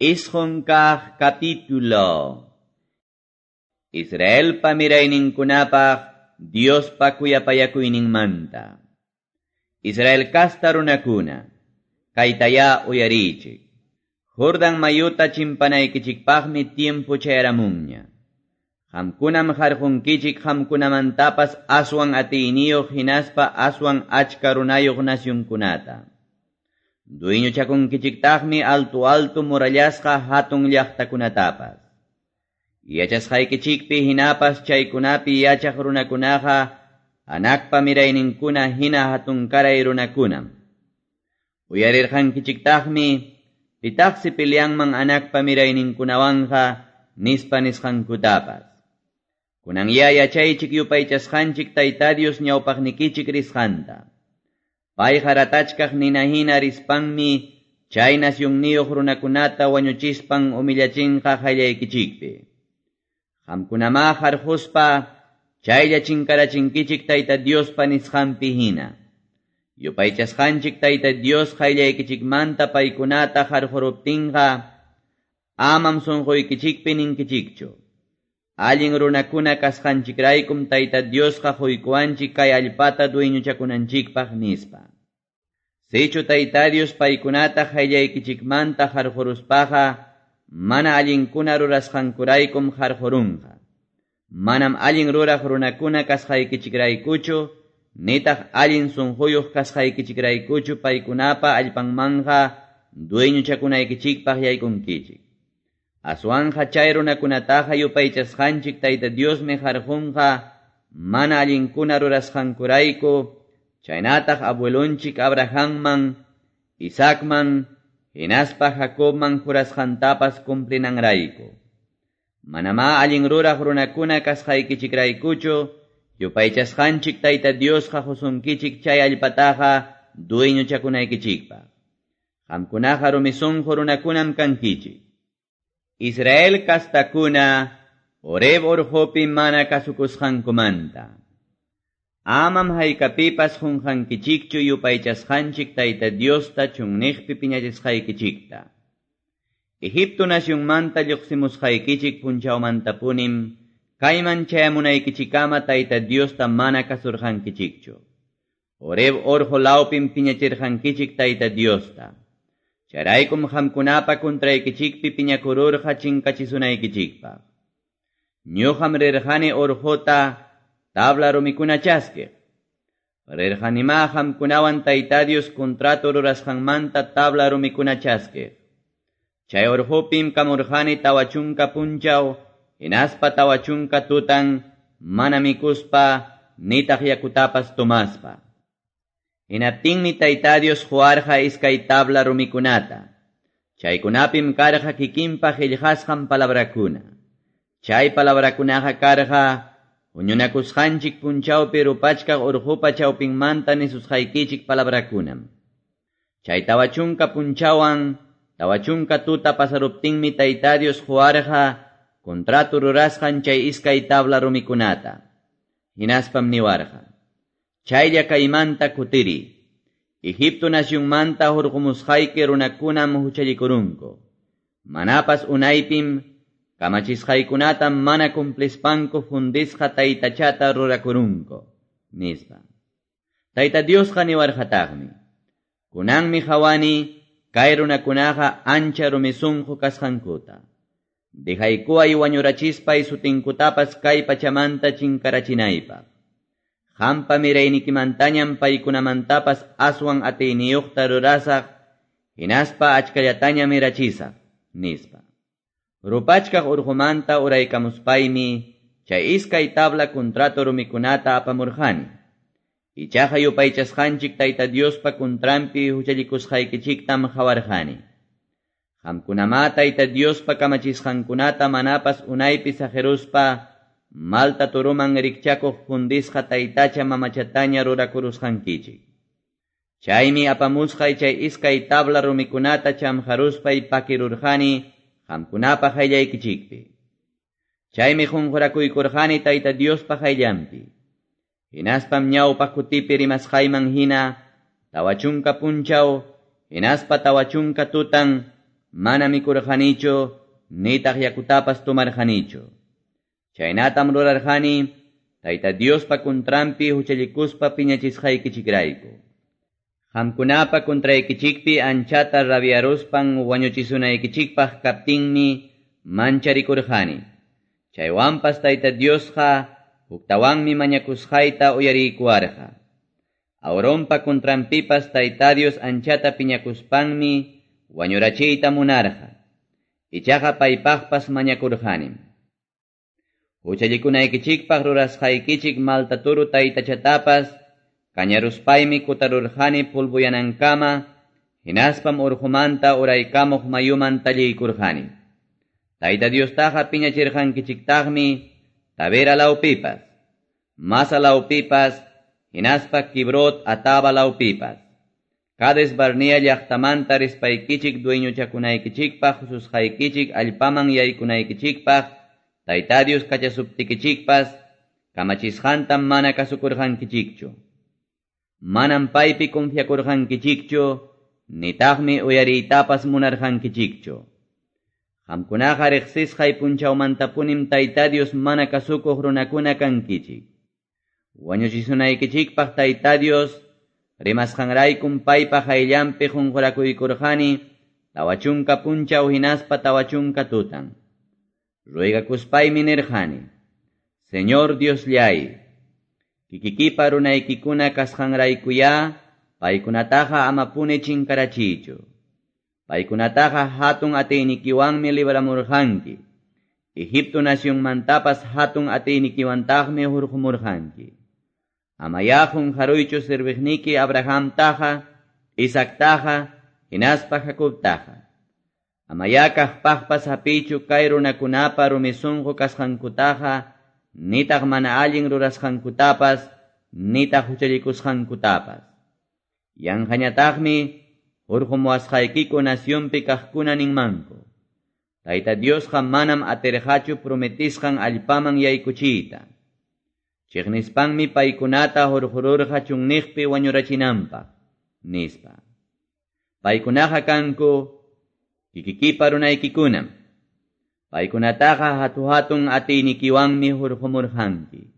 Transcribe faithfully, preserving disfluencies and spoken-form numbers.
Isqun kaq capítulo. Israelpa mirayninkunapaq Diospa kuyapayakuyninmanta. Israel kasta runakuna, kaytayá uyariychik. Jordan mayuta chimpanaykichikpaqmi tiempo chayaramunña. Qamkunam harqunkichik qamkunamantapas aswan atiyniyuq hinaspa aswan achka runayuq nasyunkunata. Dueñochakunkichiktaqmi alto alto murallasqa hatun llaqtakunatapas. Yachasqaykichikpi hinapas chaykunapi yachaq runakunaqa Anakpa mirayninkuna hina hatunkaray runakunam. Uyarirqankichiktaqmi pitaqsi peleanman Anakpa mirayninkunawanqa nispa nisqankutapas. Kunan ya yachaychik yupaychasqanchik Tayta Dios ñawpaqnikichik risqanta. Payqa ratachkaq nina hina rispanmi chay nasyunniyuq runakunata wañuchispan humillachinqa qayllaykichikpi. Qamkunamá harquspa chaylla chinkarachinkichik Tayta Diospa nisqanpi hina. Yupaychasqanchik Tayta Dios qayllaykichikmanta paykunata harquruptinqa amam sunquykichikpi ninkichikchu. Allin runakuna kasqanchikraykum Tayta Diosqa quykuwanchik kay allpata dueñochakunanchikpaq nispa. Sichu Tayta Dios paykunata qayllaykichikmanta harquruspaqa mana allinkuna rurasqankuraykum harqurunqa. Manam allin ruraq runakuna kasqaykichikraykuchu, nitaq allin sunquyuq kasqaykichikraykuchu paykunapa allpanmanja dueñochakunaykichikpaq yaykunkichik. Aswanja chay runakunataqa yupaychasqanchik Tayta Diosmi harqunqa mana allinkuna rurasqankurayku, chaynataq abuelonchik Abrahamman, Isaacman, hinaspa Jacobman jurasqantapas cumplinanrayku. Manamá allin ruraq runakuna kasqaykichikraykuchu, yupaychasqanchik Tayta Diosqa qusunkichik chay allpataqa dueñochakunaykichikpaq. Qamkunaqa rumi sunqu runakunam kankichik. Israel kastakuna Horeb urqupi mana kasukusqankumanta. Amam haykapipas qunqankichikchu yupaychasqanchik Tayta Diosta chunniqpi piñachisqaykichikta. Egipto nasyunmanta lluqsimusqaykichik punchawmantapunim kayman chayamunaykichikama Tayta Diosta mana kasurqankichikchu. Horeb urqu lawpim piñachirqankichik Tayta Diosta. Chayraykum qamkunapa kuntraykichikpi piñakururqa chinkachisunaykichikpaq. Ñuqam rirqani urquta tabla rumikuna chaskiq. Rirqanimá qamkunawan Tayta Dios contrato rurasqanmanta tabla rumikuna chaskiq. Chay urqupim kamurqani tawa chunka punchaw, hinaspa tawa chunka tutan, mana mikuspa, nitaq yakutapas tomaspa. Hinaptinmi Tayta Dios quwarqa iskay tabla rumikunata. Chaykunapim karqa kikinpa qillqasqan palabrakuna. Chay palabrakunaqa karqa huñunakusqanchik punchawpi rupachkaq urqupa chawpinmanta nisusqaykichik palabrakunam. Chay tawa chunka punchawan, tawa chunka tuta pasaruptinmi Tayta Dios quwarqa contrato rurasqan chay iskay tabla rumikunata. Hinaspam niwarqa: Chaylla kaymanta kutiri. Egipto nasyunmanta hurqumusqayki runakunam huchallikurunku. Manapas unaypim kamachisqaykunata mana cumplispanku fundisqa taytachata rurakurunku, nispa. Tayta Diosqa niwarqataqmi: Kunanmi qhawani kay runakunaqa ancha rumi sunqu kasqankuta. Dejaykuway wañurachispay sutinkutapas kay pachamanta chinkarachinaypaq. Qampa miraynikimantañam paykunamantapas aswan atiyniyuqta rurasaq, hinaspa achkallataña mirachisaq, nispa. Rupachkaq urqumanta uraykamuspaymi chay iskay tabla contrato rumikunata apamurqani. Ichaqa yupaychasqanchik Tayta Diospa kuntranpi huchallikusqaykichiktam qhawarqani. Qamkunamá Tayta Diospa kamachisqankunata manapas unaypi saqiruspa malta turuman rikchakuq fundisqa taytacha mamachataña rurakurusqankichik. Chaymi apamusqay chay iskay tabla rumikunata chamqaruspay pakirurqani qamkunapa qayllaykichikpi. Chaymi qunqurakuykurqani Tayta Diospa qayllanpi. Hinaspam ñawpaq kutipi rimasqayman hina tawa chunka punchaw, hinaspa tawa chunka tutan mana mikurqanichu, nitaq yakutapas tomarqanichu. Chaynatam rurarqani, Tayta Diospa kuntranpi huchallikuspa piñachisqaykichikrayku. Qamkunapa kuntraykichikpi anchata rabiaruspan wañuchisunaykichikpaq kaptinmi mancharikurqani. Chaywanpas Tayta Diosqa huktawanmi mañakusqayta uyariykuwarqa. Aaronpa kuntranpipas Tayta Dios anchata piñakuspanmi wañurachiyta munarqa. Ichaqa paypaqpas mañakurqanim. Huchallikunaykichikpaq rurasqaykichik malta toro taytachatapas kañaruspaymi kutarurqani pulbuyanankama, hinaspam urqumanta uraykamuq mayuman talliykurqani. Tayta Diostaqa piñachirqankichiktaqmi Tabera lawpipas, Masa lawpipas, hinaspa Kibrot Hatava lawpipas. Cades Barnea llaqtamanta rispaykichik dueñochakunaykichikpaq hususqaykichik allpaman yaykunaykichikpaq Tayta Dios kachasuptikichikpas kamachisqantam mana kasukurqankichikchu. Manam paypi confiakurqankichikchu, nitaqmi uyariytapas munarqankichikchu. Qamkunaqa riqsisqay punchawmantapunim Tayta Dios mana kasukuq runakuna kankichik. Wañuchisunaykichikpaq Tayta Dios rimasqanraykum paypa qayllanpi qunqurakuykurqani tawa chunka punchaw hinaspa tawa chunka tutan. Ruegakuspaymi nirqani, Señor Diosllay, kikikipa runaykikuna kasqanraykuyá paykunataqa amapuni chinkarachiychu. Paykunataqa hatun atiynikiwanmi libramurqanki. Egipto nacionmantapas hatun atiynikiwantaqmi hurqumurqanki. Amayá qunqaruychu serviqniki Abrahamtaqa, Isaactaqa, hinaspa Jacobtaqa. Amayá kaqpaqpas hapiychu kay runakunapa rumi sunqu kasqankutaqa, nitaq mana allin rurasqankutapas, nitaq huchallikusqankutapas. Yanqañataqmi hurqumuwasqaykiku nacionpi kaqkuna ninmanku. Tayta Diosqa manam atirqachu prometisqan allpaman yaykuchiyta. Chiqnispanmi paykunata hurqururqa chunniqpi wañurachinanpaq, nispa. Paykunaqa kanku kikikipa runaykikunam. Paykunataqa hatu-hatun atiynikiwanmi hurqumurqanki.